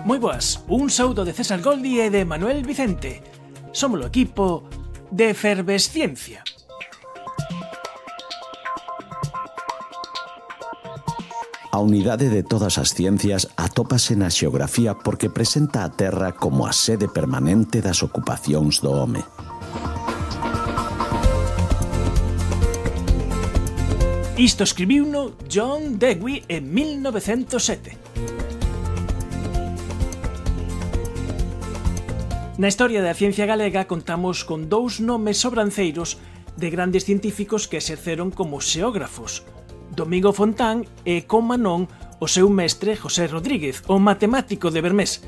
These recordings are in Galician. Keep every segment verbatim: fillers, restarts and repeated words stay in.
Moi boas, un saúdo de César Goldi e de Manuel Vicente. Somos o equipo de Efervesciencia. A unidade de todas as ciencias atópase na xeografía porque presenta a Terra como a sede permanente das ocupacións do home. Isto escribiuno John Dewey en mil novecentos sete. Na historia da ciencia galega contamos con dous nomes sobranceiros de grandes científicos que exerceron como xeógrafos: Domingo Fontán e, como non, o seu mestre José Rodríguez, o matemático de Bermés.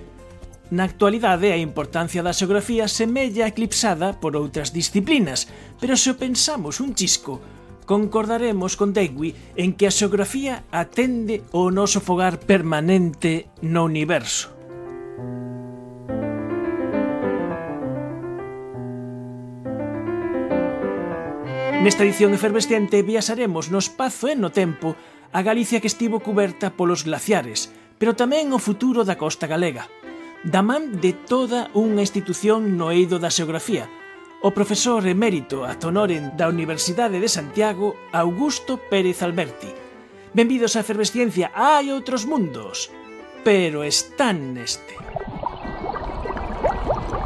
Na actualidade, a importancia da xeografía semella eclipsada por outras disciplinas, pero se o pensamos un chisco, concordaremos con Dewey en que a xeografía atende ao noso fogar permanente no universo. Nesta edición efervescente viaxaremos no espazo e no tempo a Galicia que estivo cuberta polos glaciares, pero tamén o futuro da costa galega, da man de toda unha institución no eido da xeografía, o profesor emérito ad honorem da Universidade de Santiago, Augusto Pérez Alberti. Benvidos a Efervesciencia, hai outros mundos, pero están neste.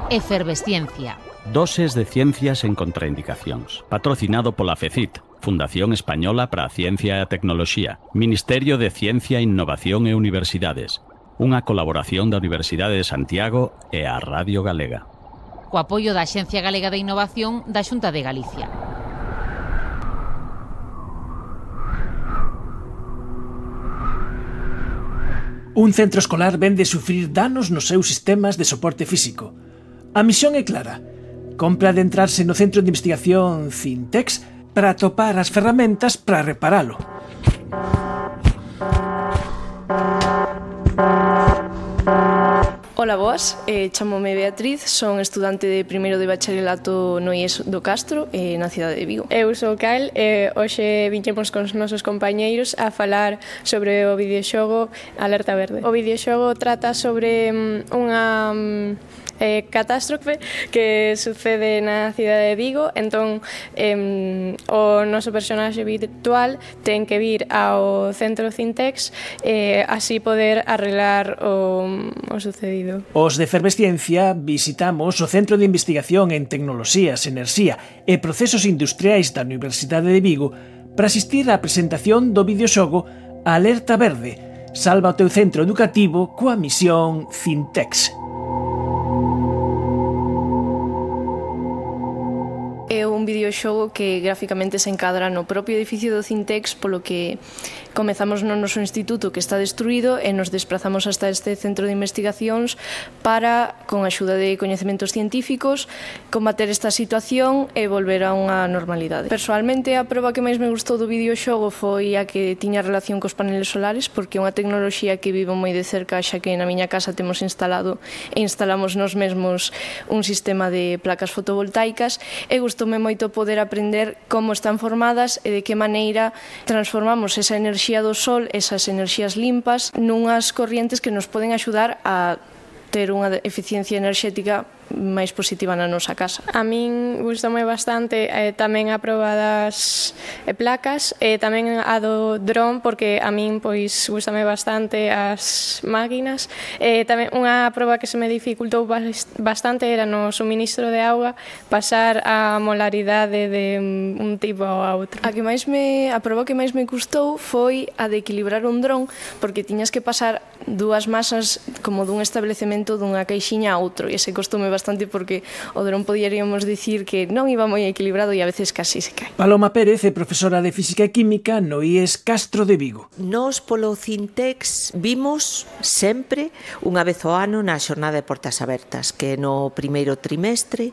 Efervesciencia. Doses de ciencias en contraindicacións. Patrocinado pola FECIT, Fundación Española para a Ciencia e a Tecnoloxía, Ministerio de Ciencia, Innovación e Universidades. Unha colaboración da Universidade de Santiago e a Radio Galega. Co apoio da Axencia Galega de Innovación da Xunta de Galicia. Un centro escolar ven de sufrir danos nos seus sistemas de soporte físico. A misión é clara: compra adentrarse no Centro de Investigación Cintex para atopar as ferramentas para reparalo. Ola, boas, eh, chamome Beatriz, son estudante de primeiro de bacharelato no I E S do Castro, eh, na cidade de Vigo. Eu sou Cal e hoxe viñemos con os nosos compañeiros a falar sobre o videoxogo Alerta Verde. O videoxogo trata sobre um, unha... Um, Eh, catástrofe que sucede na cidade de Vigo. Entón eh, o noso personaxe virtual ten que vir ao centro Cintex e eh, así poder arreglar o, o sucedido. Os de Efervesciencia visitamos o Centro de Investigación en Tecnoloxías, Enerxía e Procesos Industriais da Universidade de Vigo para asistir á presentación do videoxogo Alerta Verde. Salva o teu centro educativo coa misión Cintex. É un videoxogo que gráficamente se encadra no propio edificio do Cintex, polo que comezamos no noso instituto que está destruído e nos desplazamos hasta este centro de investigacións para, con a axuda de coñecementos científicos, combater esta situación e volver a unha normalidade. Personalmente, a proba que máis me gustou do videoxogo foi a que tiña relación cos paneles solares, porque é unha tecnoloxía que vivo moi de cerca, xa que na miña casa temos instalado e instalamos nos mesmos un sistema de placas fotovoltaicas e gustoume moito poder aprender como están formadas e de que maneira transformamos esa enerxía do sol, esas enerxías limpas, nunhas corrientes que nos poden axudar a ter unha eficiencia enerxética máis positiva na nosa casa. A min gustoume bastante eh, tamén a proba das eh, placas e tamén a do dron, porque a min pois gustame bastante as máquinas. E tamén unha proba que se me dificultou bastante era no suministro de auga, pasar a molaridade de un tipo ao outro. A que máis me a proba que máis me custou foi a de equilibrar un dron, porque tiñas que pasar dúas masas como dun establecemento dunha caixiña a outro, e ese costoume bastante porque o dron poderíamos dicir que non iba moi equilibrado e a veces casi se cae. Paloma Pérez é profesora de Física e Química no I E S Castro de Vigo. Nos polo Cintex vimos sempre unha vez ao ano na xornada de portas abertas, que no primeiro trimestre.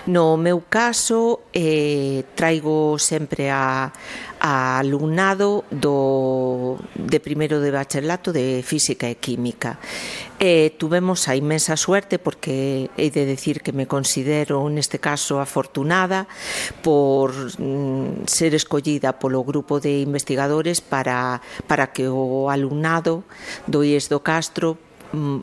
No meu caso, eh, traigo sempre a, a alumnado do, de primeiro de bacharelato de Física e Química. E tuvemos a inmensa suerte, porque hei de decir que me considero neste caso afortunada por mm, ser escollida polo grupo de investigadores para, para que o alumnado do I E S do Castro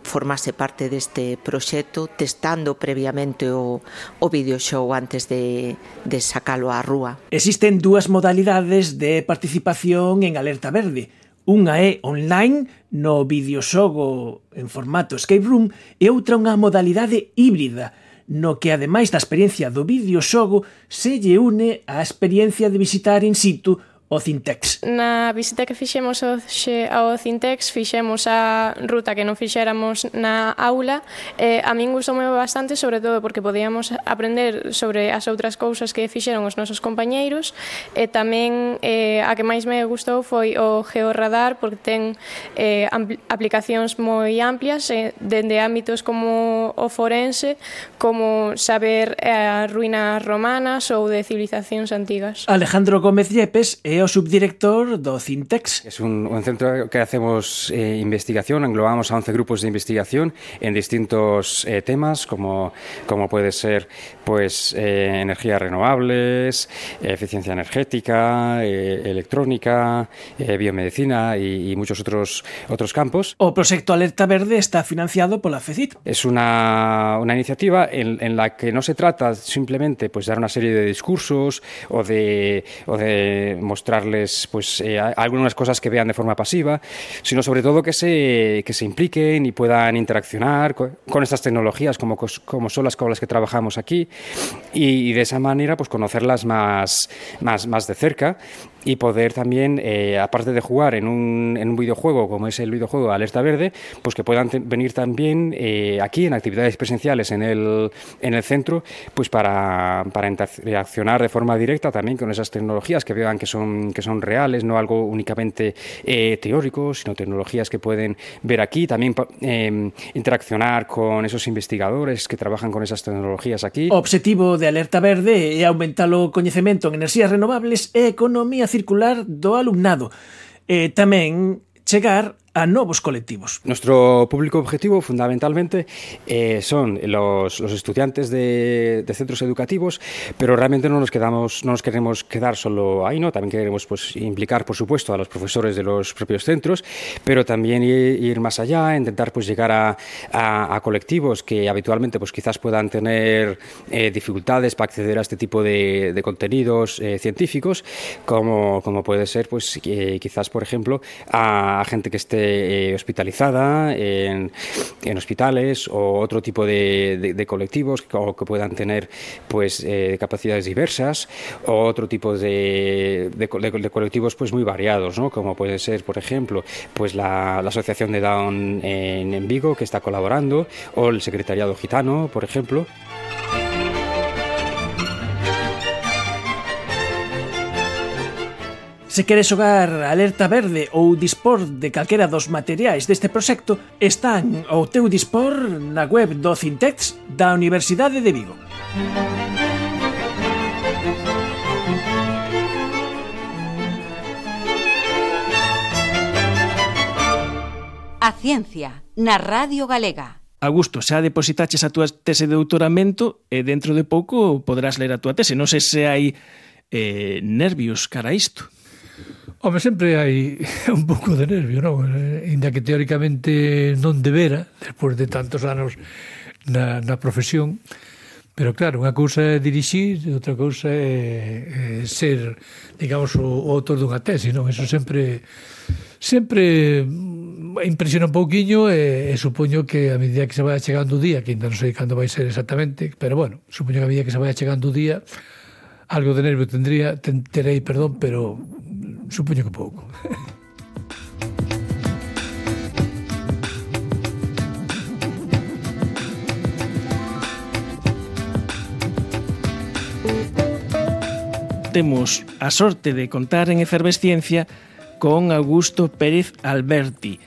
formase parte deste proxecto, testando previamente o, o videoxogo antes de, de sacalo á rúa. Existen dúas modalidades de participación en Alerta Verde. Unha é online, no videoxogo en formato escape room, e outra unha modalidade híbrida, no que, ademais da experiencia do videoxogo, se lle une a experiencia de visitar in situ o Cintex. Na visita que fixemos hoxe ao Cintex, fixemos a ruta que non fixéramos na aula. Eh, a min gustoume bastante, sobre todo porque podíamos aprender sobre as outras cousas que fixeron os nosos compañeiros, e tamén eh, a que máis me gustou foi o Georradar, porque ten eh, aplicacións moi amplias, eh, dende ámbitos como o forense, como saber as ruínas romanas ou de civilizacións antigas. Alejandro Gómez Yepes é o subdirector do Cintex. Es un, un centro que hacemos eh, investigación, englobamos a once grupos de investigación en distintos eh, temas, como, como puede ser pues eh, energías renovables, eh, eficiencia energética, eh, electrónica, eh, biomedicina y, y muchos otros, otros campos. O proxecto Alerta Verde está financiado pola FECIT. Es una, una iniciativa en, en la que no se trata simplemente pues dar una serie de discursos o de, o de mostrar mostrarles pues, eh, algunas cosas que vean de forma pasiva, sino sobre todo que se, que se impliquen y puedan interaccionar con, con estas tecnologías como, como son las con las que trabajamos aquí y, y de esa manera pues, conocerlas más, más, más de cerca y poder también, eh, aparte de jugar en un, en un videojuego como es el videojuego Alerta Verde, pues que puedan venir también eh, aquí en actividades presenciales en el, en el centro pues para, para interaccionar de forma directa también con esas tecnologías, que vean que son que son reales, no algo únicamente eh, teórico, sino tecnologías que pueden ver aquí, también eh, interaccionar con esos investigadores que trabajan con esas tecnologías aquí. O obxectivo de Alerta Verde é aumentar o coñecemento en enerxías renovables e economía circular do alumnado, e tamén chegar a nuevos colectivos. Nuestro público objetivo fundamentalmente eh, son los, los estudiantes de, de centros educativos, pero realmente no nos quedamos, no nos queremos quedar solo ahí, ¿no? También queremos pues, implicar, por supuesto, a los profesores de los propios centros, pero también ir, ir más allá, intentar pues, llegar a, a, a colectivos que habitualmente pues, quizás puedan tener eh, dificultades para acceder a este tipo de, de contenidos eh, científicos, como, como puede ser pues, eh, quizás, por ejemplo, a, a gente que esté Eh, hospitalizada en, en hospitales o otro tipo de, de, de colectivos que, o que puedan tener pues eh, capacidades diversas o otro tipo de, de, de colectivos pues muy variados, ¿no? Como puede ser, por ejemplo, pues la, la Asociación de Down en, en Vigo, que está colaborando, o el Secretariado Gitano, por ejemplo. Se queres xogar Alerta Verde ou dispor de calquera dos materiais deste proxecto, están ao teu dispor na web do Cintex da Universidade de Vigo. A ciencia na Radio Galega. Augusto, xa depositaches a túa tese de doutoramento e dentro de pouco poderás ler a túa tese. Non sei se hai eh, nervios cara a isto. Home, sempre hai un pouco de nervio, non? Inda que teóricamente non debera, despois de tantos anos na, na profesión, pero claro, unha cousa é dirixir, outra cousa é, é ser, digamos, o, o autor dunha tese, non? Eso sempre sempre impresiona un pouquiño e, e supoño que a medida que se vai chegando o día, que ainda non sei cando vai ser exactamente, pero bueno, supoño que a medida que se vai chegando o día, algo de nervio tendría, ten, terei, perdón, pero supoño que pouco. Temos a sorte de contar en Efervesciencia con Augusto Pérez Alberti,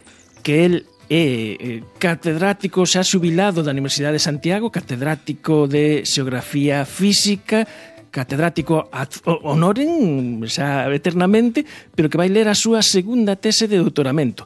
que el é catedrático xa xubilado da Universidade de Santiago, catedrático de Xeografía Física, catedrático ad honorem, xa eternamente, pero que vai ler a súa segunda tese de doutoramento,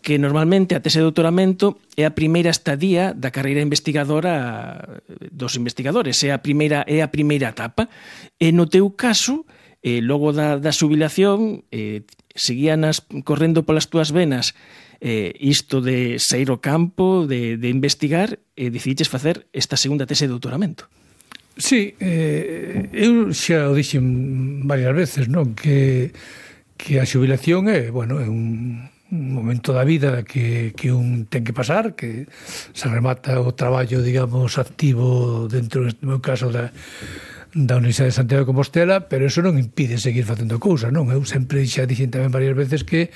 que normalmente a tese de doutoramento é a primeira estadía da carreira investigadora dos investigadores, é a primeira, é a primeira etapa, e no teu caso, eh, logo da, da xubilación, eh, seguíanas correndo polas túas venas eh, isto de sair ao campo, de, de investigar, e decidiches facer esta segunda tese de doutoramento. Sí, eh, eu xa o dixen varias veces, non? Que, que a xubilación é, bueno, é un un momento da vida que, que un ten que pasar, que se remata o traballo, digamos, activo dentro, no meu caso, da, da Universidade de Santiago de Compostela, pero eso non impide seguir facendo cousas, non? Eu sempre xa dixen tamén varias veces que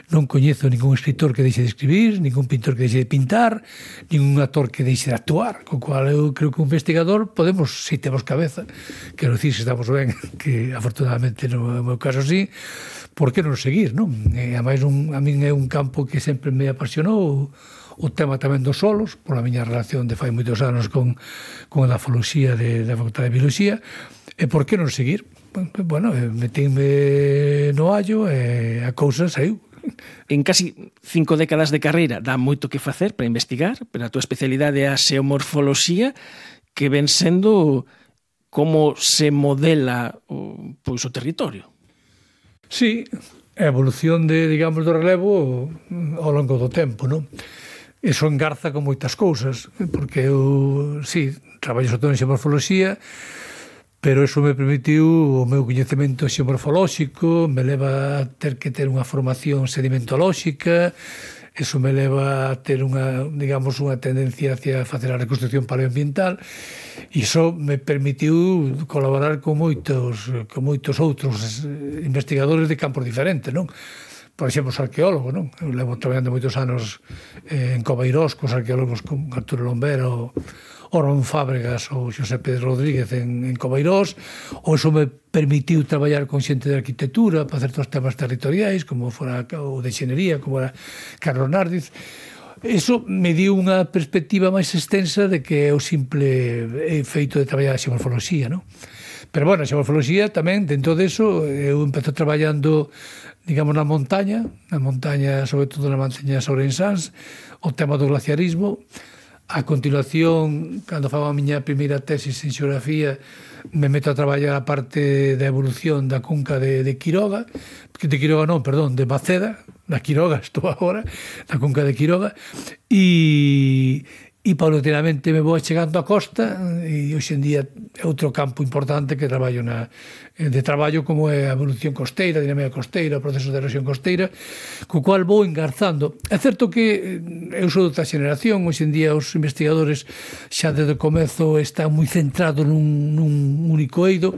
non coñezo ningún escritor que deixe de escribir, ningún pintor que deixe de pintar, ningún actor que deixe de actuar, co cual eu creo que un investigador podemos, se temos cabeza, quero dicir, se estamos ben, que afortunadamente no meu caso sí, por que non seguir, non? E, ademais, un, a min é un campo que sempre me apasionou, o tema tamén dos solos, pola miña relación de fai moitos anos con, con a dafoloxía de, da Facultade de Biología, e por que non seguir? Bueno, metínme no allo e a cousa saiu. En casi cinco décadas de carreira dá moito que facer para investigar, pero a túa especialidade é a xeomorfoloxía, que ven sendo como se modela o, pois, o territorio. Sí, a evolución de, digamos, do relevo ao longo do tempo, non? Eso engarza con moitas cousas, porque eu, sí, traballo sobre todo en xeomorfoloxía, pero eso me permitiu o meu coñecemento xeomorfolóxico, me leva a ter que ter unha formación sedimentolóxica, eso me leva a ter unha, digamos, unha tendencia hacia facer a reconstrucción paleoambiental, e iso me permitiu colaborar con moitos, con moitos outros investigadores de campos diferentes, non? Por exemplo, os arqueólogos, non? Eu levo traballando moitos anos en Covairós, cos arqueólogos como Arturo Lombero, o Ron Fábregas ou Xosé Pedro Rodríguez en, en Covairós, ou iso me permitiu traballar con xente de arquitectura para certos temas territoriais, como fora o de xenería, como era Carlos Nardiz. Eso me dio unha perspectiva máis extensa de que é o simple feito de traballar a xeomorfoloxía, non? Pero, bueno, a xeomorfoloxía tamén, dentro deso, eu empezo traballando, digamos, na montaña, na montaña, sobre todo na montaña Ourensáns, o tema do glaciarismo. A continuación, cando fago a miña primeira tesis en xeografía, me meto a traballar a parte da evolución da cunca de, de Quiroga, de Quiroga non, perdón, de Maceda, da Quiroga estou agora, da cunca de Quiroga, e, e paulatinamente me vou chegando á costa, e hoxe en día é outro campo importante que traballo na, de traballo como é a evolución costeira, a dinámica costeira, o proceso de erosión costeira, co cual vou engarzando. É certo que eu sou de outra xeneración, hoxe en día os investigadores xa desde o comezo están moi centrados nun, nun único eido.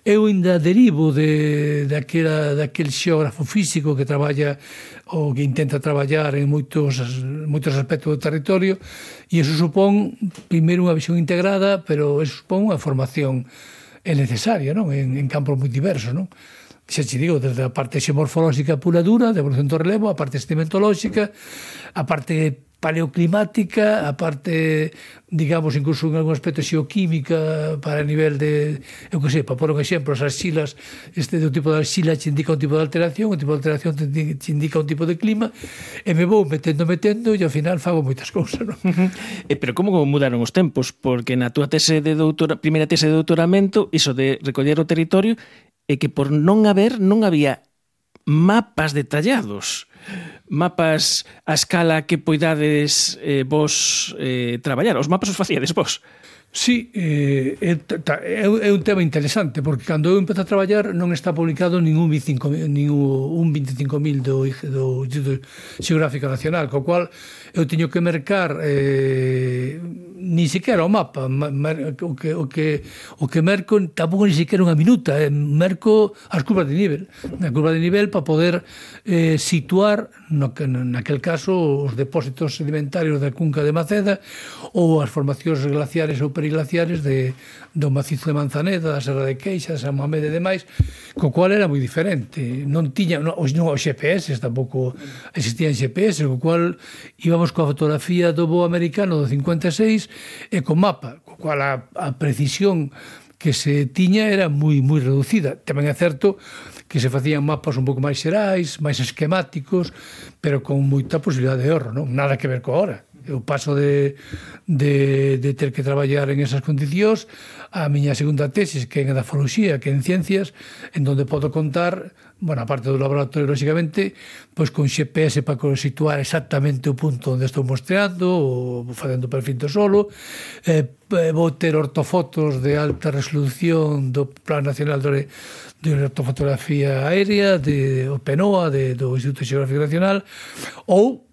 Eu ainda derivo de, daquela, daquel xeógrafo físico que traballa ou que intenta traballar en moitos, moitos aspectos do territorio, e iso supón, primeiro, unha visión integrada, pero iso supón unha formación é necesaria, non? En, en campos moi diversos, non? Xa te digo, desde a parte xeomorfolóxica pura dura, de evolución do relevo, a parte sedimentolóxica, a parte paleoclimática, a parte, digamos, incluso en algún aspecto xeoquímica para a nivel de, eu que sei, para pôr un exemplo, as arxilas, este do tipo de arxila te indica un tipo de alteración, un tipo de alteración te indica un tipo de clima, e me vou metendo, metendo, e ao final fago moitas cousas, non? Uh-huh. Eh, pero como mudaron os tempos? Porque na túa tese de doutora, primeira tese de doutoramento, iso de recoller o territorio, é que por non haber, non había mapas detallados, mapas a escala que poidades eh, vos eh, traballar. Os mapas os facíades vos? Sí, eh, é, é un tema interesante, porque cando eu empezo a traballar non está publicado ningún veinticinco mil do, do Instituto Xeográfico Nacional, co cual eu teño que mercar eh, ni siquiera o mapa, mer, o, que, o, que, o que merco tampouco ni siquiera unha minuta, eh, merco as curvas de nivel, a curva de nivel para poder eh, situar, no, naquel caso, os depósitos sedimentarios da cunca de Maceda ou as formacións glaciares ou periglaciares de, do macizo de Manzaneda, da Serra de Queixa, San Mamede e demais, co cual era moi diferente. Non tiña, non, os, non, os G P S tampouco existían G P S, co cual íbamos coa fotografía do voo americano do cincuenta e seis e con mapa, co cual a, a precisión que se tiña era moi moi reducida. Tamén é certo que se facían mapas un pouco máis xerais, máis esquemáticos, pero con moita posibilidade de erro, non? Nada que ver co ahora. Eu paso de, de, de ter que traballar en esas condicións a miña segunda tesis, que é en edafoloxía, que é en ciencias, en donde podo contar, bueno, aparte do laboratorio, lógicamente, pois con G P S para situar exactamente o punto onde estou mostreando, ou facendo perfil do solo, eh, vou ter ortofotos de alta resolución do Plan Nacional de, de Ortofotografía Aérea, de o PENOA, de, do Instituto Xeográfico Nacional, ou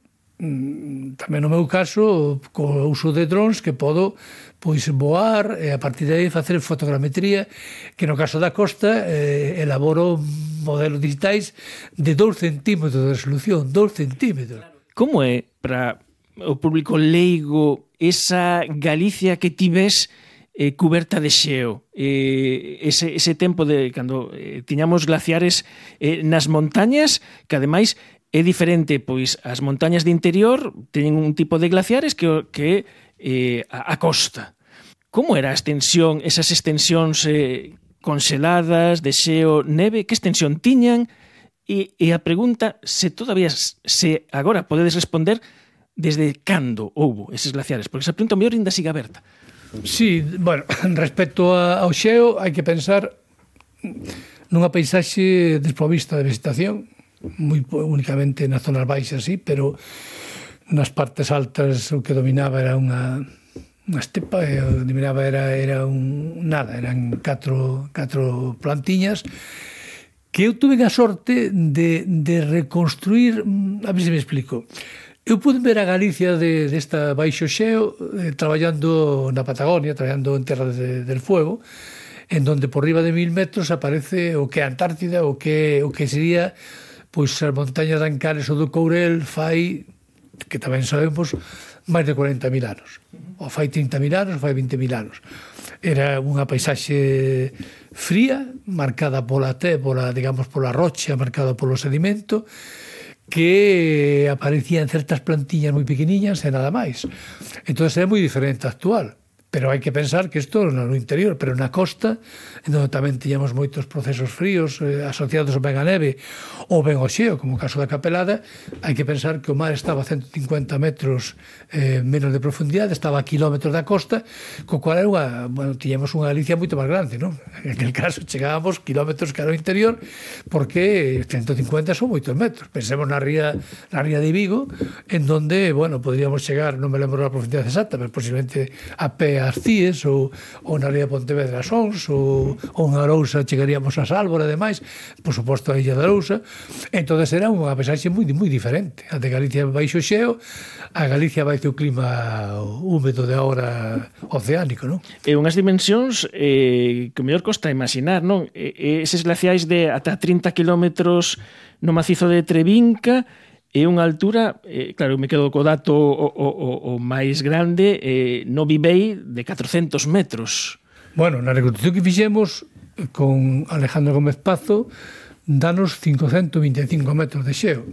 tamén no meu caso co uso de drones que podo pois voar e a partir de aí facer fotogrametría, que no caso da costa eh, elaboro modelos digitais de dous centímetros de resolución, dous centímetros. Como é para o público leigo esa Galicia que ti ves eh, cuberta de xeo, eh, ese, ese tempo de cando eh, tiñamos glaciares eh, nas montañas, que ademais é diferente, pois as montañas de interior teñen un tipo de glaciares que que eh, a, a costa. Como era a extensión, esas extensións eh, conseladas de xeo, neve, que extensión tiñan? E, e a pregunta, se todavía, se agora podedes responder desde cando houbo eses glaciares, porque esa pregunta mellor ainda siga aberta. Sí, bueno, respecto ao xeo, hai que pensar nunha paisaxe desprovista de vegetación, moi únicamente nas zonas baixas, sí, pero nas partes altas o que dominaba era unha, unha estepa, e o que dominaba era, era un, nada, eran catro, catro plantiñas que eu tuve a sorte de, de reconstruir, a ver se me explico. Eu pude ver a Galicia de, desta baixo xeo eh, traballando na Patagonia, traballando en Terra de, del Fuego, en donde por riba de mil metros aparece o que é a Antártida, o que, o que sería pois as montañas de Ancares ou do Courel fai, que tamén sabemos, máis de cuarenta mil anos. Ou fai trinta mil anos, ou fai vinte mil anos. Era unha paisaxe fría, marcada pola té, pola, digamos, pola rocha, marcada polo sedimento, que aparecían certas plantiñas moi pequeniñas e nada máis. Entón, é moi diferente actual. Pero hai que pensar que isto no interior, pero na costa, onde tamén tiñamos moitos procesos fríos eh, asociados ben a neve ou ben ao xeo, como o caso da Capelada, hai que pensar que o mar estaba a ciento cincuenta metros eh, menos de profundidade, estaba a kilómetros da costa, co cual era unha, bueno, tiñamos unha Galicia moito máis grande, non? En aquel caso chegábamos kilómetros cara ao interior, porque ciento cincuenta son moitos metros. Pensemos na ría, na ría de Vigo, en donde, bueno, podríamos chegar, non me lembro a profundidade exacta, pero posiblemente a pé as Cíes, ou, ou na ría de Pontevedra Sons, ou, ou na Arousa chegaríamos a Sálvora, ademais, por suposto a Illa da Arousa. Entón era unha paisaxe moi, moi diferente. A de Galicia baixo xeo, a Galicia baixo o clima húmedo de agora oceánico, non? E unhas dimensións eh, que o mellor costa imaginar, non? E, eses glaciais de ata trinta kilómetros no macizo de Trevinca, é unha altura, eh, claro, me quedo co dato o, o, o máis grande, eh, no Vivei de catrocentos metros. Bueno, na reconstrucción que fixemos con Alejandro Gómez Pazo, danos quinhentos vinte e cinco metros de xeo.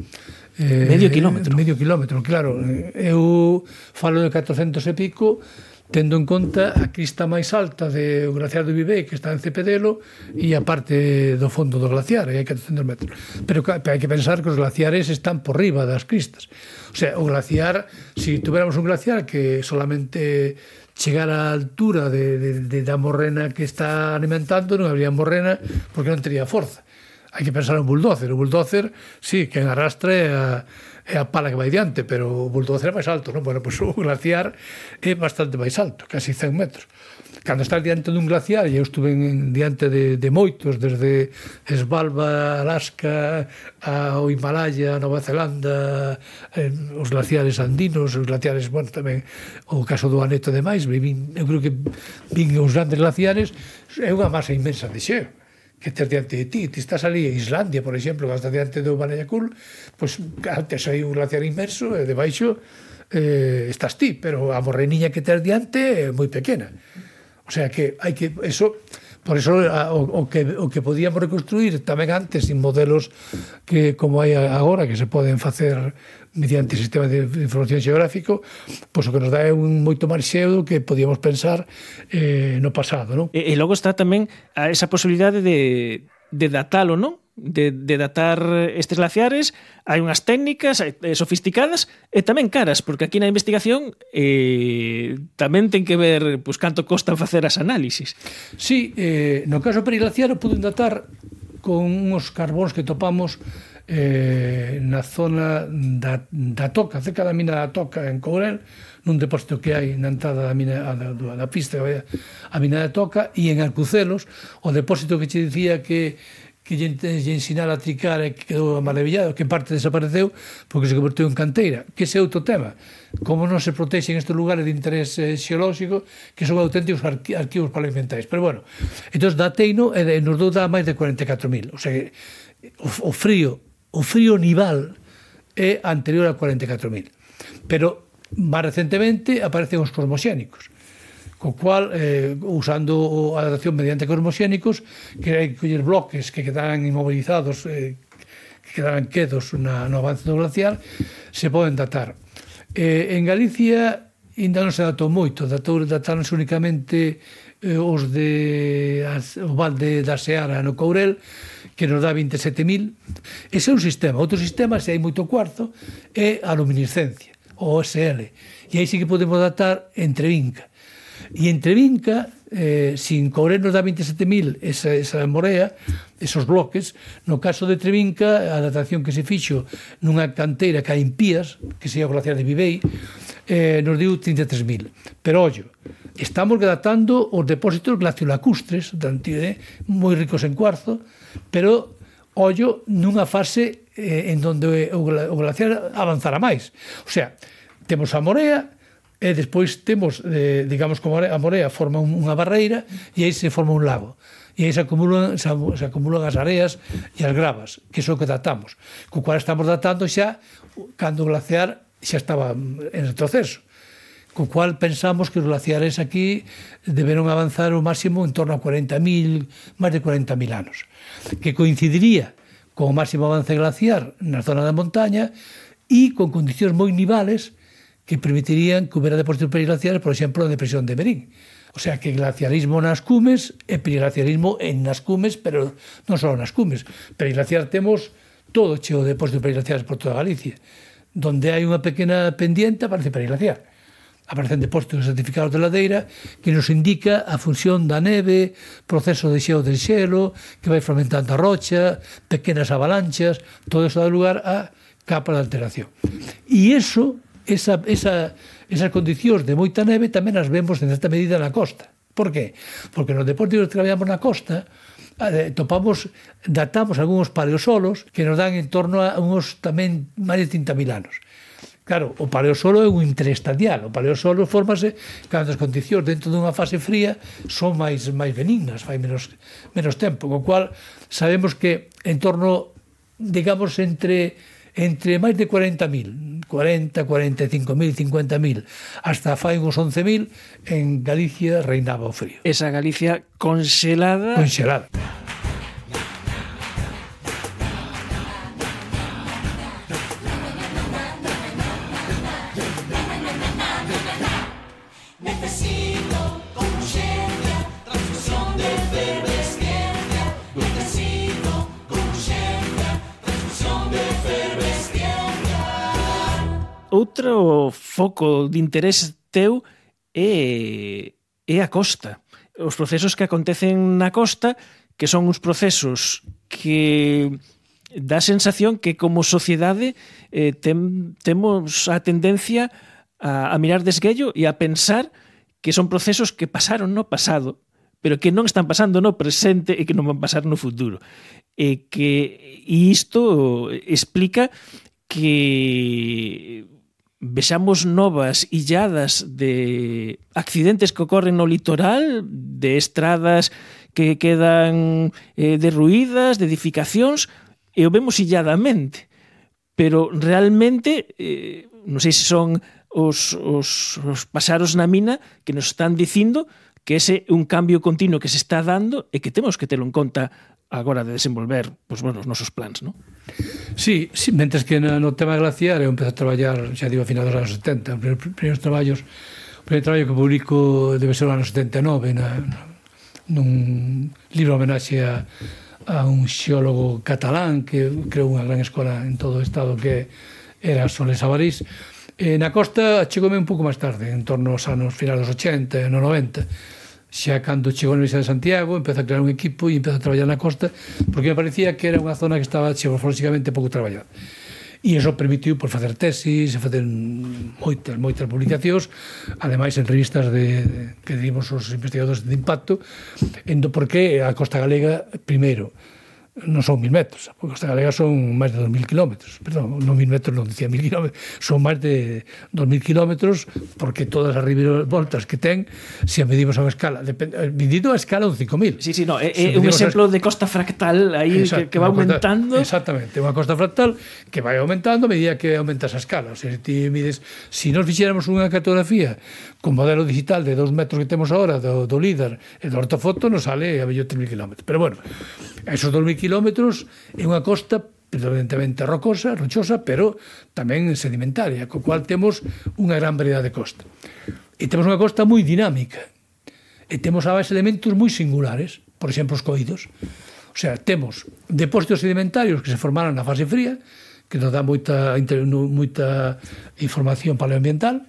Eh, medio kilómetro. Medio kilómetro, claro. Eu falo de catrocentos e pico, tendo en conta a crista máis alta do glaciar do Vivei, que está en Cepedelo, e a parte do fondo do glaciar, e hai catrocentos metros. Pero hai que pensar que os glaciares están por riba das cristas. O sea, o glaciar, se si tuviéramos un glaciar que solamente chegara á altura de, de, de da morrena que está alimentando, non habría morrena porque non tería forza. Hai que pensar en bulldozer. O bulldozer, sí, que arrastra a é a pala que vai diante, pero o bulldozer é máis alto, non? Bueno, pois o glaciar é bastante máis alto, casi cen metros. Cando estás diante dun glaciar, e eu estuve en, diante de, de moitos, desde Svalbard, Alaska, ao Himalaya, Nova Zelanda, eh, os glaciares andinos, os glaciares, bueno, tamén o caso do Aneto e demais, vin, eu creo que vin os grandes glaciares, é unha masa inmensa de xeo que estás diante de ti. Ti estás ali en Islandia, por exemplo, que estás diante do Banayakul, pois antes hai un glaciar inmerso e debaixo eh, estás ti, pero a morreniña que estás diante é moi pequena. O sea que hai que eso, por eso o, o que o que podíamos reconstruir tamén antes en modelos que como hai agora que se poden facer mediante sistema de información xeográfico, pois o que nos dá é un moito máis xeo que podíamos pensar eh, no pasado, non? E, e logo está tamén a esa posibilidade de, de datalo, non? de, de datar estes glaciares, hai unhas técnicas eh, sofisticadas e tamén caras, porque aquí na investigación eh, tamén ten que ver pues, canto costan facer as análisis. Sí, eh, no caso periglaciar poden datar con uns carbóns que topamos eh, na zona da, da Toca, cerca da mina da Toca en Courel, nun depósito que hai na entrada da, mina, da, da pista a mina da Toca, e en Alcucelos, o depósito que che dicía que que lle ensinara a tricar e que quedou maravillado, que parte desapareceu porque se converteu en canteira, que ese é outro tema. Como non se protexen estes lugares de interés xeolóxico que son auténticos arquivos paleoambientais. Pero bueno, entón dateino e nos dou dá máis de cuarenta e catro mil. O sea que o, o frío, o frío nival é anterior a cuarenta e catro mil. Pero máis recentemente aparecen os cosmoxénicos, co cual, eh, usando a datación mediante cosmoxénicos, que hai que coller bloques que quedaran inmovilizados, eh, que quedaran quedos na, no avance do glaciar, se poden datar. Eh, en Galicia ainda non se datou moito, dataronse únicamente eh, os de as, o val de da Seara no Courel, que nos dá vinte e sete mil. Ese é un sistema. Outro sistema, se hai moito cuarzo, é a luminiscencia, o O S L. E aí sí que podemos datar entre vinca. E entre vinca, eh, sin Courel nos dá vinte e sete mil esa, esa morea, esos bloques. No caso de Trevinca, a datación que se fixo nunha canteira que hai en Pías, que se é o glaciar de Vivei, eh, nos diu trinta e tres mil. Pero, ollo, estamos datando os depósitos glaciolacustres, eh, moi ricos en cuarzo, pero, ollo, nunha fase eh, en donde o, o glaciar avanzará máis. O sea, temos a morea, e despois temos, eh, digamos, como a morea forma unha barreira e aí se forma un lago. E aí se acumulan, se, se acumulan as areas e as gravas, que é o que datamos. Co cual estamos datando xa cando o glaciar xa estaba en retroceso. Co cual pensamos que os glaciares aquí deberon avanzar o máximo en torno a cuarenta mil, máis de cuarenta mil anos. Que coincidiría con o máximo avance glaciar na zona da montaña e con condicións moi nivales que permitirían que houbera depósitos periglaciares, por exemplo, na depresión de Merín. O sea, que glaciarismo nas cumes e periglaciarismo en nas cumes, pero non só nas cumes. Periglaciar temos todo cheo de depósitos periglaciares por toda Galicia. Donde hai unha pequena pendiente aparece periglaciar. Aparecen depósitos certificados de ladeira que nos indica a función da neve, proceso de xeo del xelo, que vai fermentando a rocha, pequenas avalanchas, todo eso dá lugar a capas de alteración. E iso Esa, esa, esas condicións de moita neve tamén as vemos en certa medida na costa. Por qué? Porque nos depósitos que traballamos na costa eh, topamos, datamos algúns paleosolos que nos dan en torno a uns tamén máis de trinta mil anos. Claro, o paleosolo é un interestadial. O paleosolo formase cando as condicións dentro dunha fase fría son máis, máis benignas, fai menos, menos tempo, co cual sabemos que en torno, digamos, entre entre máis de cuarenta mil, cuarenta, cuarenta e cinco mil, cincuenta mil, hasta fai uns once mil, en Galicia reinaba o frío. Esa Galicia conxelada... Conxelada. Outro foco de interés teu é, é a costa. Os procesos que acontecen na costa, que son uns procesos que dá a sensación que como sociedade eh, tem, temos a tendencia a, a mirar de esguello e a pensar que son procesos que pasaron no pasado, pero que non están pasando no presente e que non van pasar no futuro. E que e isto explica que vexamos novas illadas de accidentes que ocorren no litoral, de estradas que quedan eh, derruídas, de edificacións, e o vemos illadamente. Pero realmente, eh, non sei se son os, os, os pasaros na mina que nos están dicindo que ese é un cambio continuo que se está dando e que temos que telo en conta agora de desenvolver pues, bueno, os nosos plans, non? Sí, sí, mentres que no, no tema glaciar eu empecé a traballar, xa digo, a final dos anos setenta. Os primeiros traballos, o primeiro traballo que publico debe ser o ano setenta e nove, na, nun libro homenaxe a, a un xeólogo catalán que creou unha gran escola en todo o estado que era Soles Avarís. E na costa chegoume un pouco máis tarde, en torno aos anos finais dos ochenta e no noventa. Xa cando chegou a Universidade de Santiago, empezou a crear un equipo e empezou a traballar na costa, porque me parecía que era unha zona que estaba xeomorfolóxicamente pouco traballada. E iso permitiu por facer tesis e facer moitas, moitas publicacións, ademais en revistas de, que dimos os investigadores de impacto, endo porque a costa galega, primeiro, non son mil metros, a costa galega son máis de dos mil kilómetros, perdón, non mil metros, non dicía mil kilómetros, son máis de dos mil kilómetros, porque todas as voltas que ten, se a medimos a unha escala, medido a escala un cinco mil. Sí, sí, no, é, é un exemplo a... de costa fractal aí que, que va aumentando. Exactamente, unha costa fractal que vai aumentando a medida que aumenta esa escala. O sea, se ti mides, se nos fixéramos unha cartografía con modelo digital de dos metros que temos agora do, do LIDAR e do ortofoto, nos sale a bello tres mil kilómetros. Pero bueno, esos dos mil kilómetros é unha costa predominantemente rocosa, rochosa, pero tamén sedimentaria, co cual temos unha gran variedade de costa. E temos unha costa moi dinámica. E temos a base elementos moi singulares, por exemplo, os coídos. O sea, temos depósitos sedimentarios que se formaron na fase fría, que nos dá moita, moita información paleoambiental.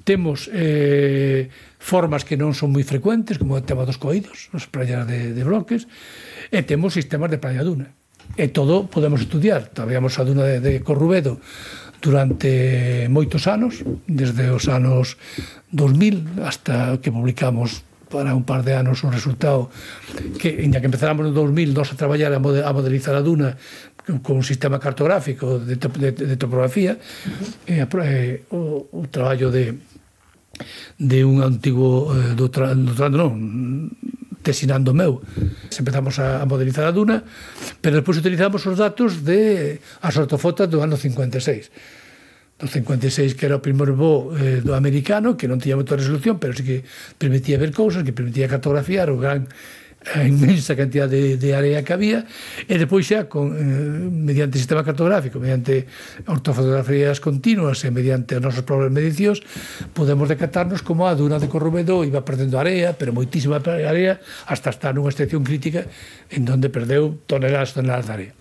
Temos eh, formas que non son moi frecuentes, como o tema dos coídos, as praias de, de bloques, e temos sistemas de praia duna. E todo podemos estudiar. Trabalhamos a duna de, de Corrubedo durante moitos anos, desde os anos dos mil hasta que publicamos para un par de anos un resultado que, ainda que empezáramos no dos mil, nos a traballar a, mode, a modelizar a duna con un sistema cartográfico de, de, de topografía, uh-huh. e, e o, o traballo de de un antigo eh, doutorando, non, tesinando meu. Empezamos a, a modelizar a duna, pero despois utilizamos os datos de as ortofotos do ano cincuenta e seis. Do cincuenta e seis, que era o primeiro voo eh, do americano, que non tiña moita resolución, pero sí que permitía ver cousas, que permitía cartografiar o gran a inmensa cantidad de, de área que había, e depois xa con, eh, mediante sistema cartográfico, mediante ortofotografías continuas e mediante as nosas propias medicións, podemos decatarnos como a duna de Corrubedo iba perdendo area, pero moitísima area, hasta estar nunha excepción crítica en donde perdeu toneladas e toneladas de área.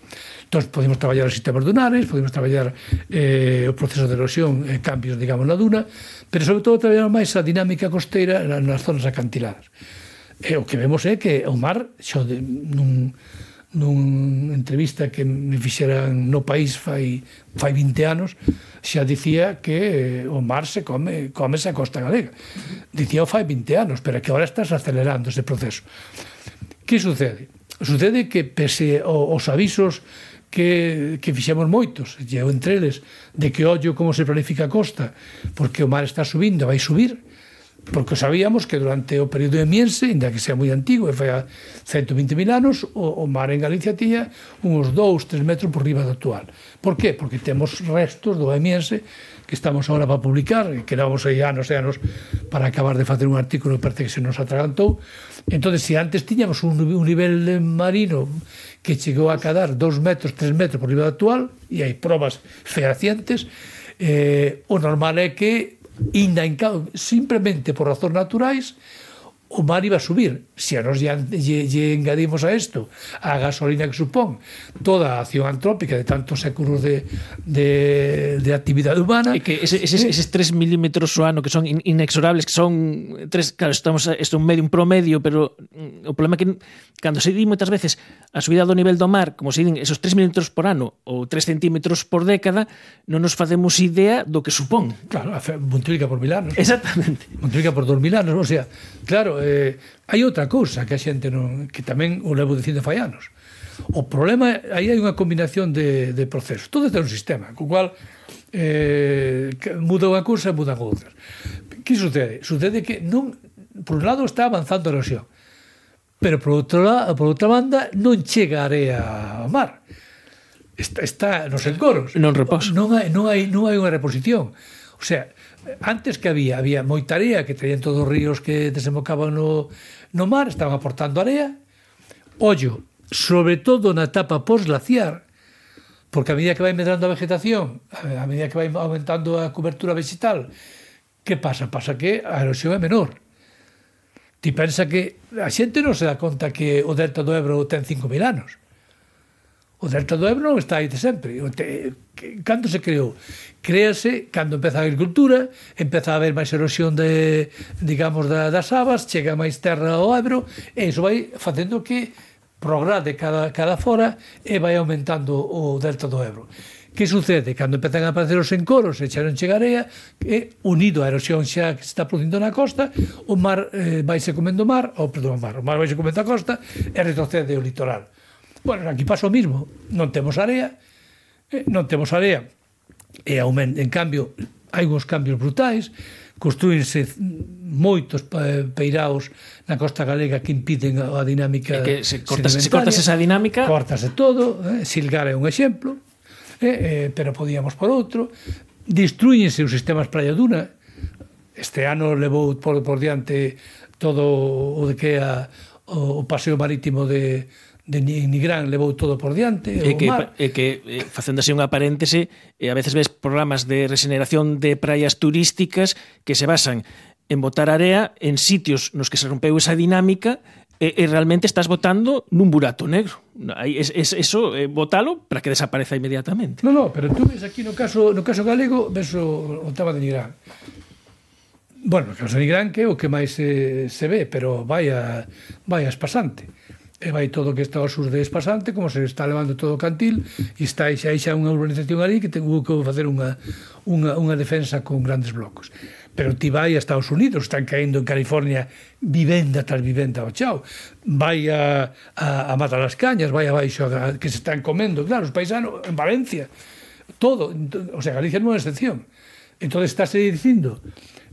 Entón, podemos traballar os sistemas dunares, podemos traballar eh, o proceso de erosión e cambios, digamos, na duna, pero sobre todo traballar máis a dinámica costeira nas zonas acantiladas. E o que vemos é que o mar, xo de, nun, nun entrevista que me fixeran no País fai, fai vinte anos, xa dicía que o mar se come, come a costa galega. Dicía o fai vinte anos, pero que agora estás acelerando ese proceso. Que sucede? Sucede que pese aos avisos que, que fixemos moitos, e entre eles, de que ollo como se planifica a costa, porque o mar está subindo, vai subir, porque sabíamos que durante o período de Miense, ainda que sea moi antigo, e foi a ciento vinte mil anos, o, o mar en Galicia tiña uns dous, tres metros por riba do actual. Por qué? Porque temos restos do Miense que estamos agora para publicar, e que levamos aí anos e anos para acabar de facer un artículo que parece que se nos atragantou. Entón, se antes tiñamos un, un nivel marino que chegou a cadar dos metros, tres metros por riba do actual, e hai probas fehacientes, eh, o normal é que inda en cabo, simplemente por razóns naturais, o mar iba a subir. Se a nos lle, lle engadimos a isto a gasolina que supón toda a acción antrópica de tantos séculos de, de, de actividade humana, e que ese, eses, eses tres milímetros o ano que son in, inexorables, que son tres, claro, estamos isto un medio, un promedio, pero o problema é que cando se di moitas veces a subida do nivel do mar, como se din esos tres milímetros por ano ou tres centímetros por década, non nos facemos idea do que supón. Claro, multiplica por mil anos. Exactamente. Multiplica por dos mil anos, o sea, claro, eh, hai outra cousa que a xente non, que tamén o levo dicindo fai anos. O problema, aí hai unha combinación de, de procesos. Todo é un sistema, co cual eh, muda unha cousa e mudan outras. Que sucede? Sucede que non, por un lado está avanzando a erosión, pero por outro lado, por outra banda non chega a area ao mar. Está, está nos encoros. Non repouso. Non hai, non hai, non hai unha reposición. O sea, antes que había, había moita area que traían todos os ríos que desembocaban no, no mar, estaban aportando area. Ollo, sobre todo na etapa posglaciar, porque a medida que vai medrando a vegetación, a medida que vai aumentando a cobertura vegetal, que pasa? Pasa que a erosión é menor. Ti pensa que a xente non se dá conta que o delta do Ebro ten cinco mil anos. O delta do Ebro non está aí de sempre. O te, cando se creou? Créase cando empeza a agricultura, empeza a haber máis erosión de, digamos, da, das abas, chega máis terra ao Ebro, e iso vai facendo que prograde cada, cada fora e vai aumentando o delta do Ebro. Que sucede? Cando empezan a aparecer os encoros e chegaron chegarea, e unido a erosión xa que se está producindo na costa, o mar eh, vai se comendo o mar, ou perdón, o mar, o mar vai se comendo a costa e retrocede o litoral. Bueno, aquí pasa o mismo, non temos area, eh, non temos area, e aumenta, en cambio, hai uns cambios brutais, construínse moitos peiraos na costa galega que impiden a dinámica que se cortas, se cortas esa dinámica, cortase todo, eh, Silgar é un exemplo, eh, eh, pero podíamos por outro, destruínse os sistemas Praia Duna, este ano levou por, por diante todo o de que a, o, o paseo marítimo de de Nigrán levou todo por diante, e o que, mar. E que, eh, facendo así unha paréntese, eh, a veces ves programas de regeneración de praias turísticas que se basan en botar area en sitios nos que se rompeu esa dinámica e, e realmente estás botando nun burato negro. Es, es, eso, eh, botalo para que desapareza inmediatamente. No, no, pero tú ves aquí no caso, no caso galego, ves o, o tema de Nigrán. Bueno, o caso de Nigrán que é o que máis se, se ve, pero vai a, vai a espasante. E vai todo o que está ao sur de Espasante, como se está levando todo o Cantil, e está xa, xa unha urbanización ali que tengo que facer unha, unha, unha defensa con grandes blocos. Pero ti vai a Estados Unidos, están caendo en California vivenda tras vivenda ao chao, vai a, a, a Mata das Cañas, vai abaixo a, que se están comendo, claro, os paisanos, en Valencia, todo, o sea, Galicia non é excepción. Entón estáse dicindo,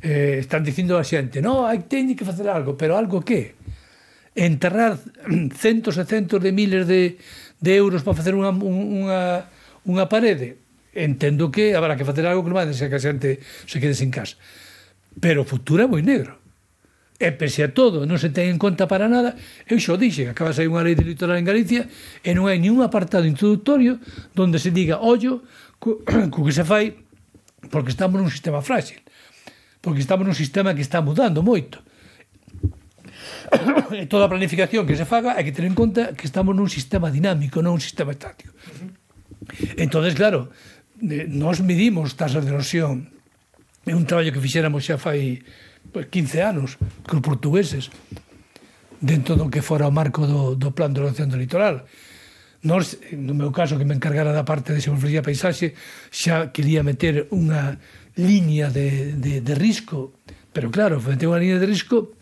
eh, están dicindo a xente, no, hai teñe que facer algo, pero algo que? Enterrar centos e centos de miles de, de euros para facer unha, unha, unha parede, entendo que habrá que facer algo que non vai deixar que a xente se quede sin casa, pero o futuro é moi negro e pese a todo non se ten en conta para nada. Eu xo dixe que acaba de sair unha lei de litoral en Galicia e non hai ni un apartado introductorio donde se diga ollo co, co que se fai, porque estamos nun sistema frágil, porque estamos nun sistema que está mudando moito. E toda a planificación que se faga hai que ter en conta que estamos nun sistema dinámico, non un sistema estático. Entonces, claro, nós medimos tasas de erosión. É un traballo que fixéramos xa fai pues, quince anos con portugueses dentro do que fora o marco do, do plan de ordenación do litoral. Nós, no meu caso, que me encargara da parte de xeografía e paisaxe, xa quería meter unha liña de, de, de risco, pero claro, meter unha liña de risco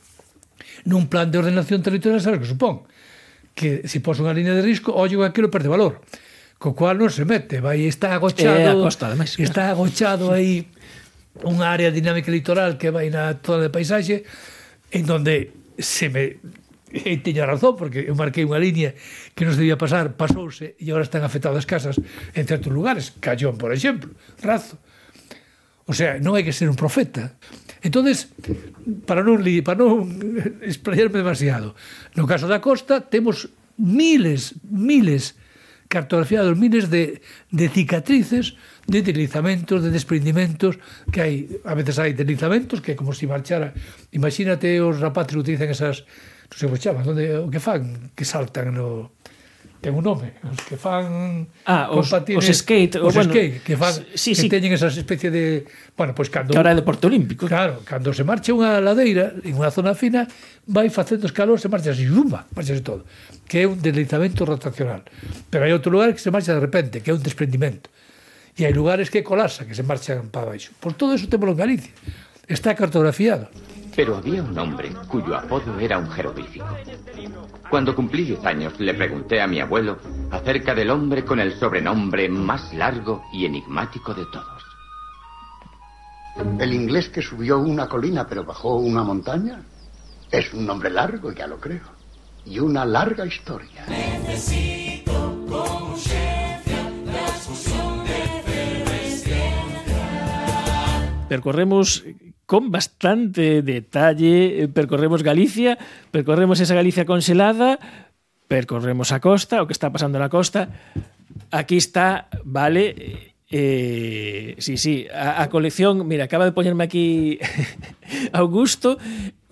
nun plan de ordenación territorial, sabes que supón? Que se pos unha línea de risco, ollo aquilo perde valor, co cual non se mete, vai, está agochado, eh, costa, además, está agochado aí unha área dinámica litoral que vai na zona de paisaxe, en donde se me... E teño razón, porque eu marquei unha línea que non se debía pasar, pasouse, e agora están afectadas casas en certos lugares, Callón, por exemplo, Razo. O sea, non hai que ser un profeta. Entonces, para non, para non explayarme demasiado, no caso da costa temos miles, miles cartografiados, miles de, de cicatrices de deslizamentos, de desprendimentos que hai, a veces hai deslizamentos que é como se marchara, imagínate os rapaces que utilizan esas, non sei como chaman, onde, o que fan, que saltan no... ten un nome, os que fan ah, os, patines, os skate, os bueno, skate que fan, sí, que sí. teñen esas especie de, bueno, pois pues cando que ahora é deporte olímpico. Claro, cando se marcha unha ladeira en unha zona fina, vai facendo escalón, se marcha así, zumba, marcha todo, que é un deslizamento rotacional. Pero hai outro lugar que se marcha de repente, que é un desprendimento. E hai lugares que colapsa, que se marchan para baixo. Por todo eso temos en Galicia. Está cartografiado. Pero había un hombre cuyo apodo era un jeroglífico. Cuando cumplí diez años, le pregunté a mi abuelo acerca del hombre con el sobrenombre más largo y enigmático de todos. El inglés que subió una colina pero bajó una montaña es un nombre largo, ya lo creo. Y una larga historia. Necesito con urgencia la fusión de efervescencia. Percorremos con bastante detalle, percorremos Galicia, percorremos esa Galicia congelada, percorremos a costa, o que está pasando na costa. Aquí está, vale, eh, sí, sí, a, a colección, mira, acaba de poñerme aquí Augusto,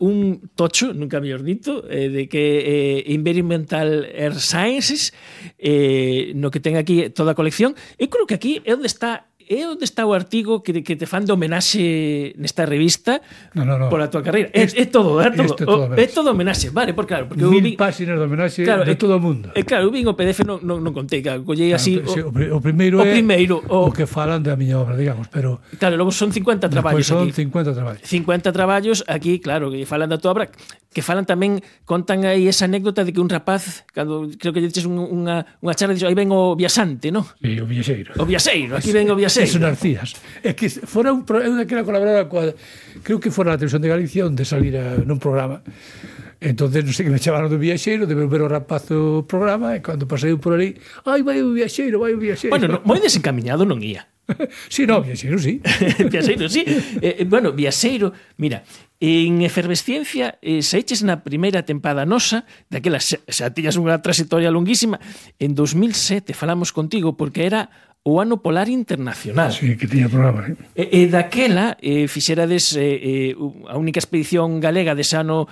un tocho, nunca mellor dito, eh, de que eh, Environmental Earth Sciences, eh, no que ten aquí toda a colección. Eu creo que aquí é onde está é onde está o artigo que, que te fan de homenaxe nesta revista no, no, no. pola tua carreira. É, é todo, é todo, é todo, é todo homenaxe, vale, por claro, porque mil vin, páxinas de homenaxe claro, de é, todo o mundo. É claro, eu vin o P D F non, non, non contei, claro, collei así claro, o, sí, o, o primeiro o é primeiro, o, o que falan da miña obra, digamos, pero claro, logo son cincuenta traballos son aquí. cincuenta traballos. cincuenta traballos aquí, claro, que falan da tua obra, que falan tamén, contan aí esa anécdota de que un rapaz, cando creo que lle dices un, unha, unha charla, dixe, aí ven o viaxante, non? Sí, o viaxeiro. O viaxeiro, aquí ven o viaxeiro. Eso Narcías. É que fora un, eu daquela colaboraba coa, creo que fora a Televisión de Galicia onde salira nun programa. Entonces, non sei que me chamaron do viaxeiro, de ver o rapaz o programa, e cando pasei por ali, ai, vai o viaxeiro, vai o viaxeiro. Bueno, no, moi desencaminhado non ia. Sí, no, viaxeiro, sí. Viaxeiro, sí. Eh, bueno, viaxeiro, mira, en Efervesciencia, eh, saíches na primeira tempada nosa, daquela, xa, xa tiñas unha trayectoria longuísima, en dos mil sete falamos contigo, porque era o Ano Polar Internacional. Sí, que tiña programa. ¿Eh? E, e daquela eh, fixerades eh, eh, a única expedición galega dese Ano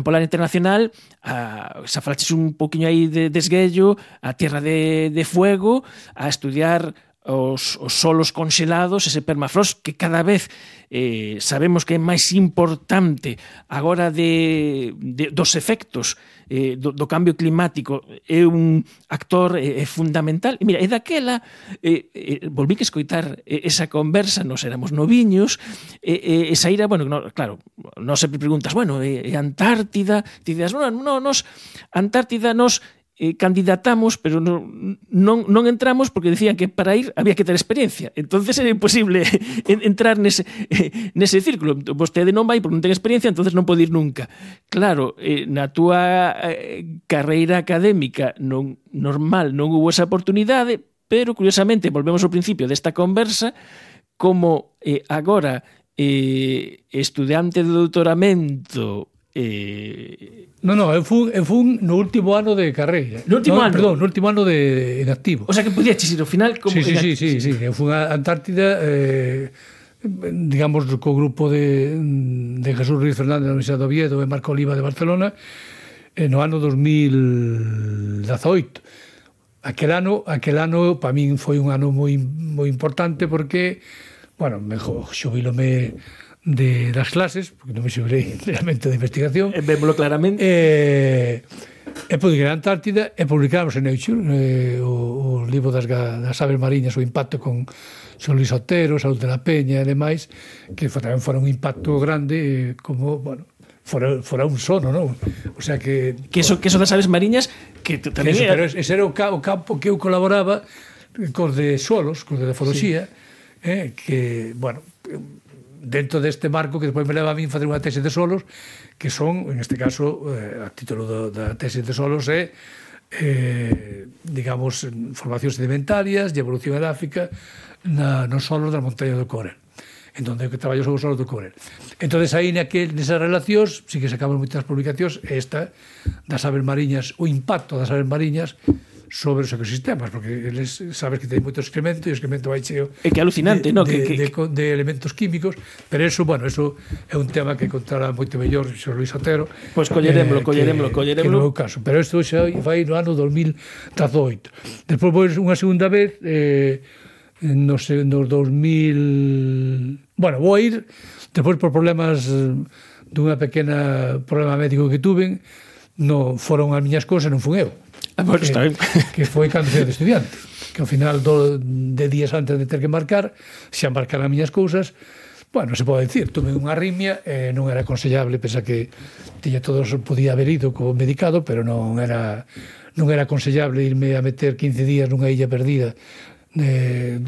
Polar Internacional, a, xa falaches un poquinho aí de desguello, a Tierra de, de Fuego, a estudiar os, os solos conxelados, ese permafrost que cada vez eh, sabemos que é máis importante agora de, de, dos efectos eh, do, do cambio climático, é un actor eh, fundamental. E mira, é daquela eh, eh, volví que escoitar eh, esa conversa, nos éramos noviños, e eh, eh, saíra, bueno, no, claro, non sempre preguntas, bueno, é eh, Antártida, ti dices, no, no, nos Antártida nos Eh, candidatamos, pero non, non, non entramos porque decían que para ir había que ter experiencia. Entonces era imposible entrar nese, eh, nese círculo. Vostede non vai porque non ten experiencia, entonces non pode ir nunca. Claro, eh, na túa eh, carreira académica non, normal non hubo esa oportunidade, pero curiosamente, volvemos ao principio desta conversa, como eh, agora eh, estudiante de doutoramento Eh... No, no, eu fun, eu fun no último ano de carreira. No último no, ano? Perdón, no último ano de en activo. O sea que podías ir ao final como sí, sí, sí, sí, sí, eu fun a Antártida eh, digamos co grupo de, de Jesús Ruiz Fernández da Universidade de Oviedo e Marco Oliva de Barcelona eh, no ano dos mil dezoito. Aquel ano, aquel ano para min foi un ano moi moi importante porque, bueno, me xubilome de das clases, porque non me xubilei realmente de investigación. E vémolo claramente. E, e publiquei na Antártida e publicamos en Nature eh, o, o libro das, das aves mariñas, o impacto con Xon Luis Otero, Saúl de la Peña e demais, que foi, tamén fora un impacto grande, eh, como, bueno, fora, fora un sono, non? O sea que... Que eso, que eso das aves mariñas, que tamén que eso, era... Pero ese era o, ca, o campo que eu colaboraba cos de solos, cos de defología, sí. eh, que, bueno... dentro deste marco que despois me leva a mí facer unha tese de solos que son, en este caso eh, a título do, da tese de solos é eh, digamos formacións sedimentarias e evolución edáfica na, nos solos das montañas do Courel, en donde que traballo sobre os solos do Courel. Entonces aí naquel, nesas relacións sí que sacamos moitas publicacións, esta das aves mariñas, o impacto das aves mariñas sobre os ecosistemas, porque eles sabes que ten moito excremento e o excremento vai cheo é que alucinante, de, no? de, que, que... De, de, de elementos químicos, pero eso, bueno, eso é un tema que contará moito mellor Xor Luis Otero. Pois pues colleremoslo, eh, colleremoslo, colleremoslo. Que no é o caso, pero isto xa vai no ano dos mil dezoito. Despois, pois, unha segunda vez, eh, nos, nos dos mil... Bueno, vou a ir, despois por problemas dunha pequena problema médico que tuven, no foron as miñas cousas, non fun eu. Ah, bueno, está ben. Que foi cando fui de estudiante, que ao final do, de días antes de ter que embarcar, xa embarcaran as miñas cousas, bueno, se pode dicir, tuve unha arritmia, eh, non era aconsellable, pensa que tiña todos, podía haber ido co medicado, pero non era non era aconsellable irme a meter quince días nunha illa perdida, eh,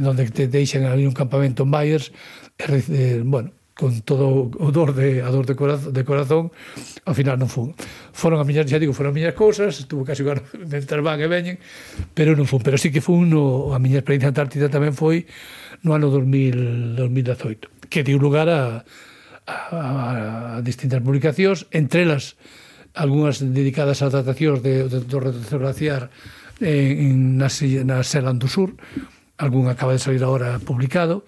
onde te deixan ali un campamento en Myers, eh, bueno, con todo o dor de, a dor de corazón, de corazón, ao final non fun. Foron a miñas, xa digo, foron a miñas cousas, estuvo casi igual mentre van e veñen, pero non fun. Pero sí que fun, no, a miña experiencia antártida tamén foi no ano dos mil dezoito, que deu lugar a, a, a distintas publicacións, entre elas algunhas dedicadas a tratacións de, de, do retroceso glaciar en, na, na Seland do Sur, algún acaba de salir agora publicado,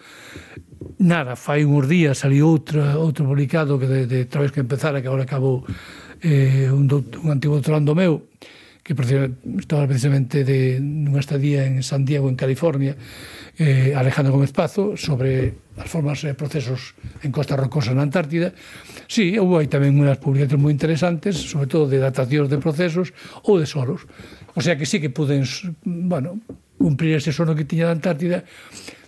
nada, fai uns días saliu outro, outro publicado que de, de outra vez que empezara, que agora acabou eh, un, un antigo doutorando meu, que estaba precisamente de nunha estadía en Santiago, en California, eh, Alejandro Gómez Pazo, sobre as formas e procesos en Costa Rocosa na Antártida. Sí, houve aí tamén unhas publicacións moi interesantes, sobre todo de datacións de procesos ou de solos. O sea que sí que puden, bueno, cumprir ese sono que tiña da Antártida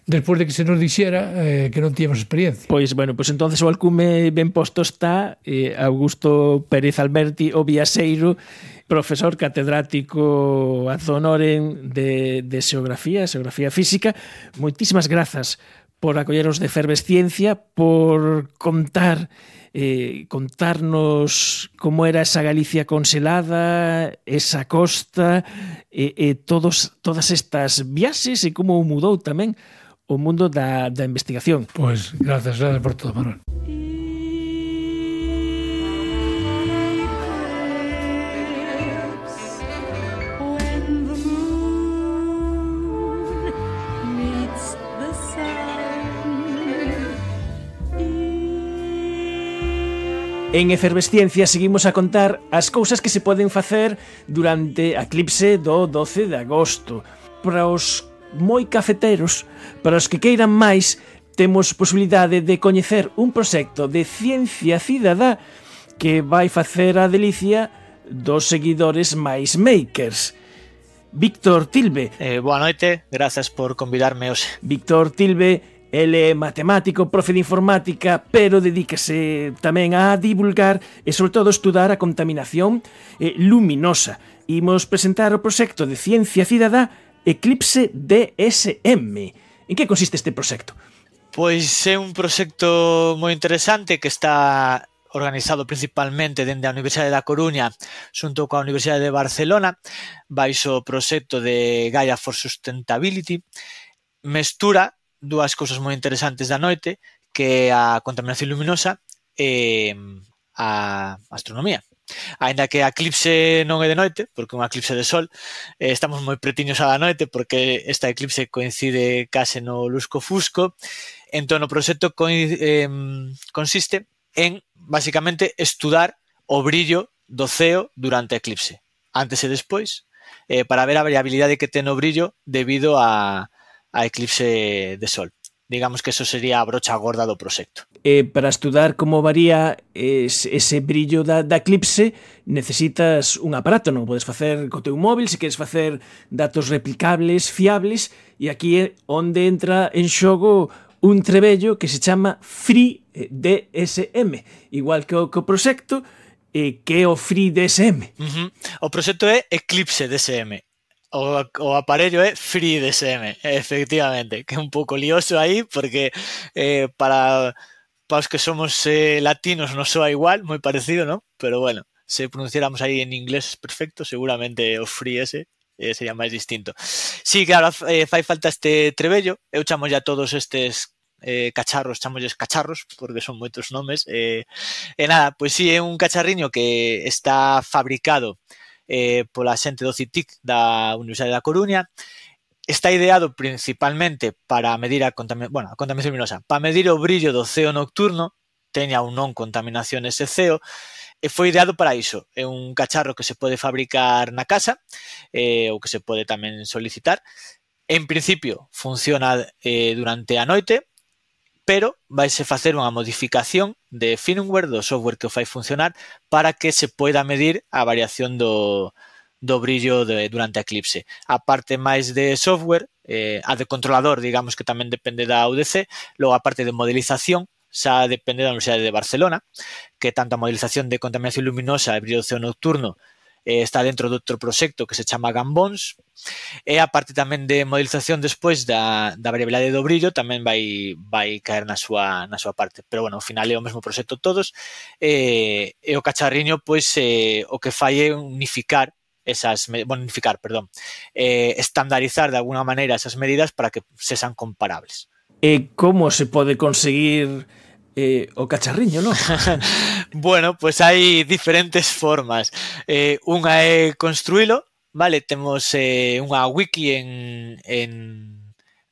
despois de que se nos dixera eh, que non tíamos experiencia. Pois, bueno, pois entonces o alcume ben posto está eh, Augusto Pérez Alberti, o viaxeiro, profesor catedrático ad honorem de, de xeografía, xeografía física. Moitísimas grazas por acolleros de Efervesciencia, por contar eh, contarnos como era esa Galicia conselada, esa costa, e eh, eh, todos, todas estas viaxes e como mudou tamén o mundo da, da investigación. Pois, grazas, grazas por todo, Manuel. En Efervesciencia seguimos a contar as cousas que se poden facer durante a eclipse do doce de agosto. Para os moi cafeteros, para os que queiran máis, temos posibilidade de coñecer un proxecto de ciencia cidadá que vai facer a delicia dos seguidores máis makers. Víctor Tilbe. Eh, boa noite, grazas por convidarme hoxe. Víctor Tilbe, ele é matemático, profe de informática, pero dedícase tamén a divulgar e, sobre todo, estudar a contaminación eh, luminosa. Imos presentar o proxecto de ciencia cidadá Eclipse D S M. En que consiste este proxecto? Pois é un proxecto moi interesante que está organizado principalmente dende a Universidade da Coruña xunto coa Universidade de Barcelona, baixo o proxecto de Gaia for Sustainability. Mestura dúas cousas moi interesantes da noite, que é a contaminación luminosa e a astronomía. Ainda que a eclipse non é de noite, porque é unha eclipse de sol, eh, estamos moi pretiños á da noite, porque esta eclipse coincide case no lusco-fusco. Entón, o proxecto eh, consiste en, basicamente, estudar o brillo do ceo durante a eclipse, antes e despois, eh, para ver a variabilidade que ten o brillo debido a a eclipse de sol. Digamos que eso sería a brocha gorda do proxecto. Eh, para estudar como varía ese, ese brillo da, da eclipse necesitas un aparato, non podes facer co teu móvil, se queres facer datos replicables, fiables, e aquí é onde entra en xogo un trebello que se chama FreeDSM, igual que o, que o proxecto, eh, que é o FreeDSM. Uh-huh. O proxecto é Eclipse D S M. O, o aparello é FreeDSM, efectivamente, que é un pouco lioso aí, porque eh, para, para os que somos eh, latinos non soa igual, moi parecido, ¿no? Pero bueno, se pronunciáramos aí en inglés perfecto, seguramente o Free ese eh, sería máis distinto. Sí, claro, eh, fai falta este trebello, eu chamo ya todos estes eh, cacharros, chamolles cacharros, porque son moitos nomes, eh, e nada, pois sí, é un cacharriño que está fabricado Eh, pola xente do C I T I C da Universidade da Coruña. Está ideado principalmente para medir a contaminación, bueno, a contaminación luminosa, para medir o brillo do ceo nocturno, teña ou non contaminación ese ceo, e foi ideado para iso. É un cacharro que se pode fabricar na casa, eh, ou que se pode tamén solicitar. En principio, funciona eh, durante a noite, pero vaise facer unha modificación de firmware do software que o fai funcionar para que se poida medir a variación do, do brillo de, durante a eclipse. A parte máis de software, eh, a de controlador, digamos que tamén depende da U D C, logo a parte de modelización, xa depende da Universidade de Barcelona, que tanto a modelización de contaminación luminosa e brillo do ceo nocturno eh, está dentro de outro proxecto que se chama Gambons, e a parte tamén de modelización despois da, da variabilidade do brillo tamén vai, vai caer na súa, na súa parte, pero bueno, ao final é o mesmo proxecto todos, e, e o cacharriño pois eh, o que fai é unificar esas, bueno, unificar, perdón, eh, estandarizar de alguna maneira esas medidas para que sexan comparables. E como se pode conseguir eh, o cacharriño, non? Bueno, pois hai diferentes formas. Eh, unha é construílo, vale? Temos eh, unha wiki en, en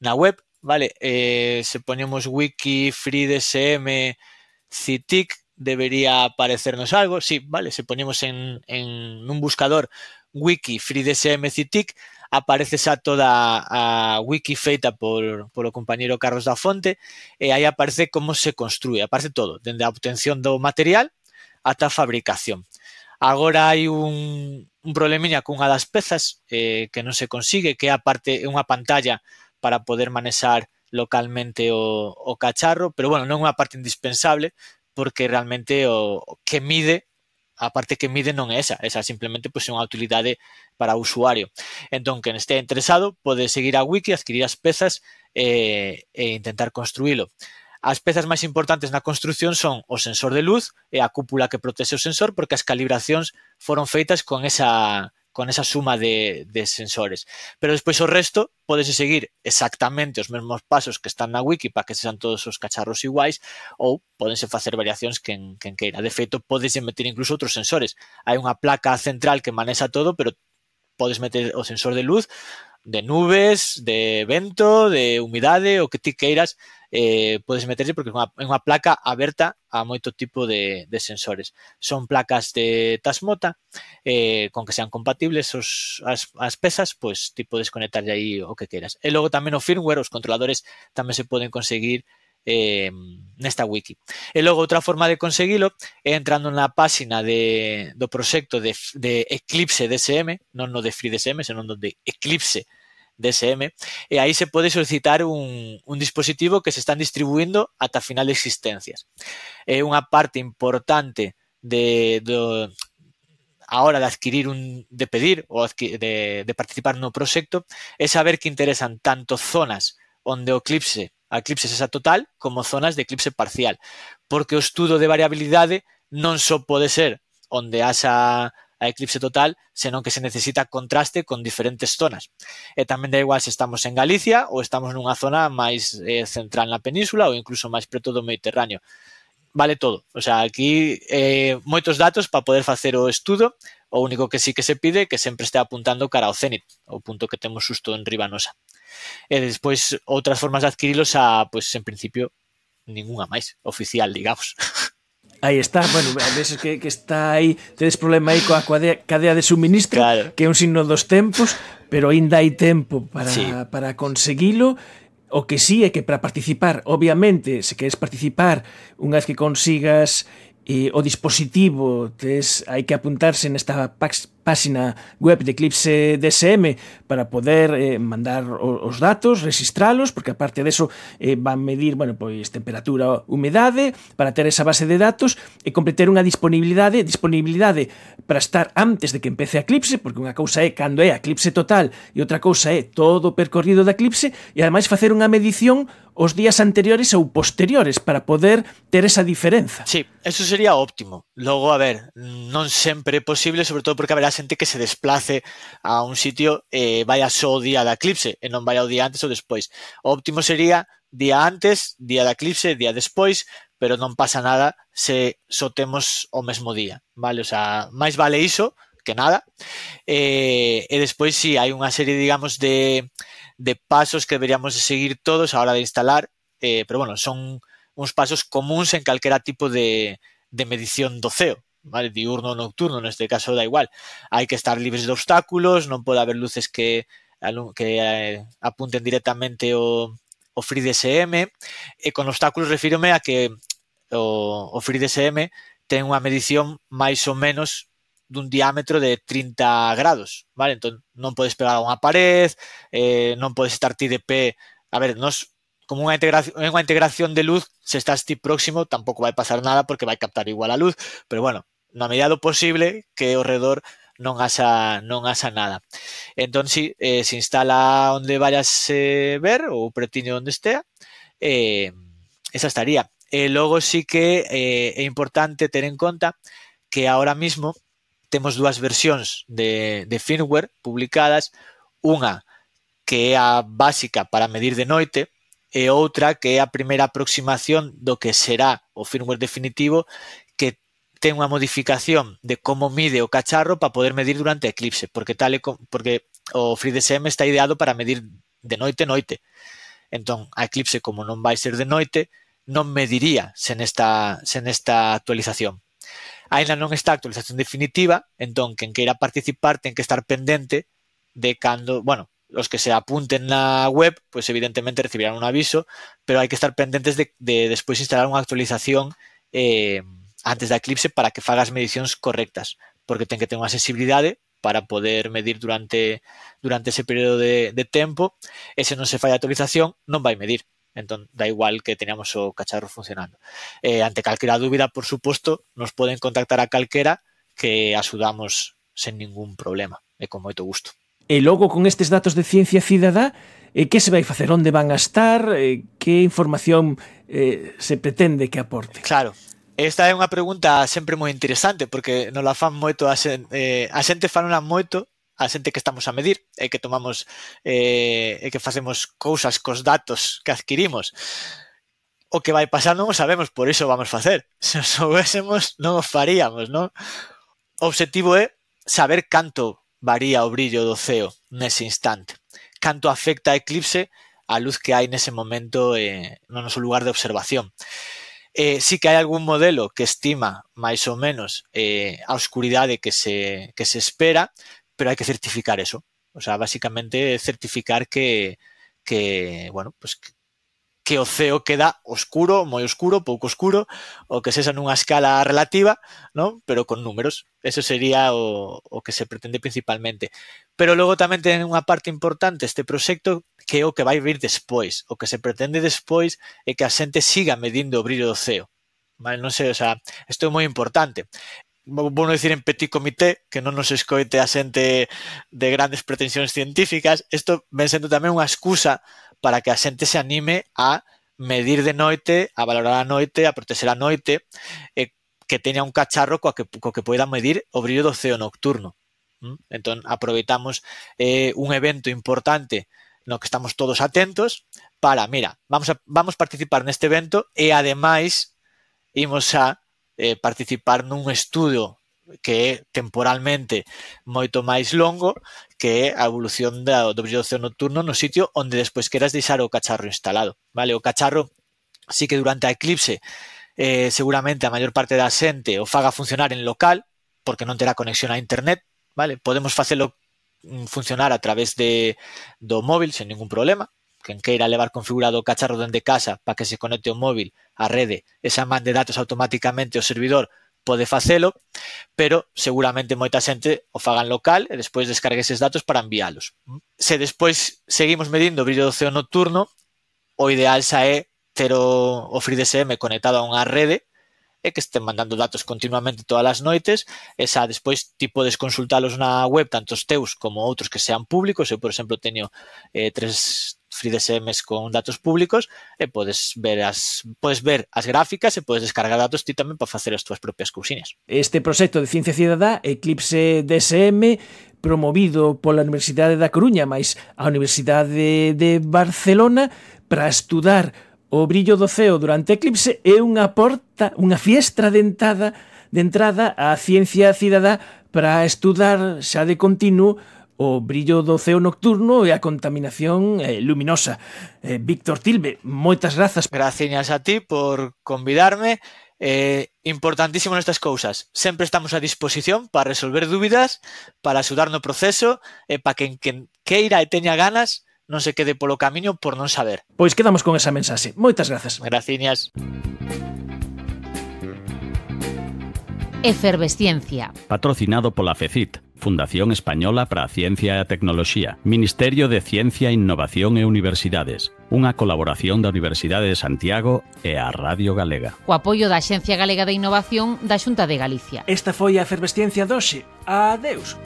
na web, vale, eh, se ponemos wiki FreeDSM C T I C debería aparecernos algo, sí, vale, se ponemos en, en un buscador wiki FreeDSM C T I C, aparece xa toda a wiki feita por, por o compañeiro Carlos da Fonte, e aí aparece como se construe, aparece todo, dende a obtención do material ata a fabricación. Agora hai un, un problemiña cunha das pezas eh, que non se consigue, que é a parte, unha pantalla para poder manexar localmente o, o cacharro, pero bueno, non é unha parte indispensable, porque realmente o, o que mide, a parte que mide non é esa, esa simplemente pues, é unha utilidade para o usuario. Entón, quen estea interesado pode seguir a wiki, adquirir as pezas e, e intentar construílo. As pezas máis importantes na construcción son o sensor de luz e a cúpula que protexe o sensor, porque as calibracións foron feitas con esa, con esa suma de, de sensores. Pero despois o resto podese seguir exactamente os mesmos pasos que están na wiki para que sexan todos os cacharros iguais, ou podense facer variacións quen, quen queira. De feito, podese meter incluso outros sensores. Hai unha placa central que manexa todo, pero podes meter o sensor de luz, de nubes, de vento, de humidade, o que ti queiras, eh, podes meterse porque é unha, é unha placa aberta a moito tipo de, de sensores. Son placas de Tasmota, eh, con que sean compatibles os, as, as pezas, pois ti podes conectarlle aí o que queiras. E logo tamén o firmware, os controladores tamén se poden conseguir eh, nesta wiki. E logo outra forma de conseguilo é entrando na páxina de, do proxecto de, de Eclipse D S M, non no de FreeDSM, senón no de Eclipse D S M, e aí se pode solicitar un, un dispositivo que se están distribuindo ata final de existencias. É unha parte importante de, do, a hora de adquirir un, de pedir ou de, de participar no proxecto, é saber que interesan tanto zonas onde o eclipse a eclipse esa total como zonas de eclipse parcial, porque o estudo de variabilidade non só pode ser onde haxa a eclipse total, senón que se necesita contraste con diferentes zonas. E tamén da igual se estamos en Galicia ou estamos nunha zona máis eh, central na península ou incluso máis preto do Mediterráneo. Vale todo. O sea, aquí eh, moitos datos para poder facer o estudo. O único que sí que se pide é que sempre este apuntando cara ao cénit, o punto que temos xusto en riba nosa. E despois outras formas de adquirilos a, pois, en principio, ningunha máis oficial, digamos. Aí está, bueno, a veces que, que está aí, tedes problema aí coa cadea, cadea de suministro, claro, que é un signo dos tempos, pero aínda hai tempo para, sí. para conseguilo. O que sí é que para participar, obviamente, se queres participar, unha vez que consigas eh, o dispositivo, tes, hai que apuntarse nesta página web de Eclipse D S M para poder eh, mandar os datos, registralos, porque aparte deso eh, van medir, bueno, pois temperatura, humedade, para ter esa base de datos e completar unha disponibilidade, disponibilidade para estar antes de que empece a eclipse, porque unha cousa é cando é a eclipse total e outra cousa é todo o percorrido da eclipse, e ademais facer unha medición os días anteriores ou posteriores para poder ter esa diferenza. Sí, eso sería óptimo. Logo, a ver, non sempre é posible, sobre todo porque haberá xente que se desplace a un sitio e eh, vaya só o día da eclipse e non vaya o día antes ou despois. O óptimo sería día antes, día da eclipse, día despois, pero non pasa nada se só temos o mesmo día, vale? O sea, máis vale iso que nada. E, e despois si sí, hai unha serie, digamos, de, de pasos que deberíamos de seguir todos a hora de instalar, eh, pero bueno, son uns pasos comuns en calquera tipo de, de medición do ceo, vale, diurno ou nocturno, neste caso da igual. Hai que estar libres de obstáculos, non pode haber luces que, que eh, apunten directamente o, o FreeDSM, e con obstáculos refírome a que o, o FreeDSM ten unha medición máis ou menos dun diámetro de trinta grados, vale? Entón non podes pegar a unha pared, eh, non podes estar ti de pé. A ver, nos como unha integración, unha integración de luz, se estás ti próximo tampouco vai pasar nada porque vai captar igual a luz, pero bueno, na medida do posible que ao redor non haxa, non haxa nada. Entón, si, eh, se instala onde vayas eh, ver, ou pretiño onde estea, eh, esa estaría. E logo sí que eh, é importante ter en conta que ahora mismo temos dúas versións de, de firmware publicadas, unha que é a básica para medir de noite, e outra que é a primeira aproximación do que será o firmware definitivo, que ten unha modificación de como mide o cacharro para poder medir durante a eclipse, porque tal e com, porque o FreeDSM está ideado para medir de noite noite. Entón, a eclipse, como non vai ser de noite, non mediría sen esta, sen esta actualización. Ainda non está a actualización definitiva, entón, quen queira participar ten que estar pendente de cando, bueno, os que se apunten na web, pois evidentemente recibirán un aviso, pero hai que estar pendentes de, de despois instalar unha actualización eh, antes da eclipse para que faga as medicións correctas, porque ten que ter unha sensibilidade para poder medir durante durante ese período de, de tempo, e se non se fai a actualización, non vai medir. Entón, da igual que teníamos o cacharro funcionando. Eh, ante calquera dúbida, por suposto, nos poden contactar a calquera que axudamos sen ningún problema e con moito gusto. E logo, con estes datos de Ciencia Cidadá, eh, que se vai facer? Onde van a estar? Eh, que información eh, se pretende que aporte? Claro, esta é unha pregunta sempre moi interesante, porque nos la fan moito a xente, eh, a xente fanona moito a xente que estamos a medir e que tomamos eh, e que facemos cousas cos datos que adquirimos. O que vai pasar non o sabemos, por iso vamos facer. Se o soubésemos, non o faríamos, non? O obxectivo é saber canto varía o brillo do ceo nese instante, canto afecta a eclipse a luz que hai nese momento eh, no noso lugar de observación. Eh, sí que hai algún modelo que estima máis ou menos eh, a oscuridade que se, que se espera, pero hai que certificar eso. O sea, basicamente certificar que, que bueno, pues que, que o ceo queda oscuro, moi oscuro, pouco oscuro, ou que sexa nunha escala relativa, ¿no? Pero con números. Eso sería o, o que se pretende principalmente. Pero logo tamén ten unha parte importante este proxecto, que é o que vai vir despois. O que se pretende despois é que a xente siga medindo o brillo do ceo. Vale? Non sei, o sea, isto é moi importante. Vou non dicir en petit comité, que non nos escoite a xente de grandes pretensións científicas. Isto ven sendo tamén unha excusa para que a xente se anime a medir de noite, a valorar a noite, a protexer a noite, e que teña un cacharro coa que, co que poida medir o brillo do ceo nocturno. ¿Mm? Entón, aproveitamos eh, un evento importante no que estamos todos atentos para, mira, vamos a vamos participar neste evento e, ademais, imos a eh, participar nun estudo que é temporalmente moito máis longo, que é a evolución da, do brillo do ceo nocturno no sitio onde despois queras deixar o cacharro instalado. Vale? O cacharro sí que durante a eclipse eh, seguramente a maior parte da xente o faga funcionar en local, porque non terá conexión a internet. Vale? Podemos facelo funcionar a través de, do móvil sen ningún problema. Quen queira levar configurado o cacharro dende casa para que se conecte o móvil á rede e xa mande datos automáticamente ao servidor, pode facelo, pero seguramente moita xente o faga en local e despois descargue eses datos para enviálos. Se despois seguimos medindo o brillo do ceo nocturno, o ideal xa é ter o, o FreeDSM conectado a unha rede e que estén mandando datos continuamente todas as noites, e xa despois ti podes consultalos na web, tanto os teus como outros que sean públicos. Eu, por exemplo, teño eh, tres FreeDSMs con datos públicos e podes ver as podes ver as gráficas e podes descargar datos ti tamén para facer as túas propias cousiñas. Este proxecto de Ciencia Cidadá, Eclipse D S M, promovido pola Universidade da Coruña máis a Universidade de Barcelona para estudar o brillo do ceo durante eclipse, é unha porta, unha fiestra de entrada, de entrada á Ciencia Cidadá para estudar xa de continuo o brillo do ceo nocturno e a contaminación eh, luminosa. Eh, Víctor Tilbe, moitas grazas. Graciñas a ti por convidarme. Eh, importantísimo nestas cousas. Sempre estamos a disposición para resolver dúbidas, para axudar no proceso e para quen, quen queira e teña ganas non se quede polo camiño por non saber. Pois quedamos con esa mensaxe. Moitas grazas. Graciñas. Efervesciencia. Patrocinado pola FECIT, Fundación Española para a Ciencia e a Tecnoloxía, Ministerio de Ciencia, Innovación e Universidades, unha colaboración da Universidade de Santiago e a Radio Galega. O apoio da Axencia Galega de Innovación da Xunta de Galicia. Esta foi a Efervesciencia doxe. Adeus.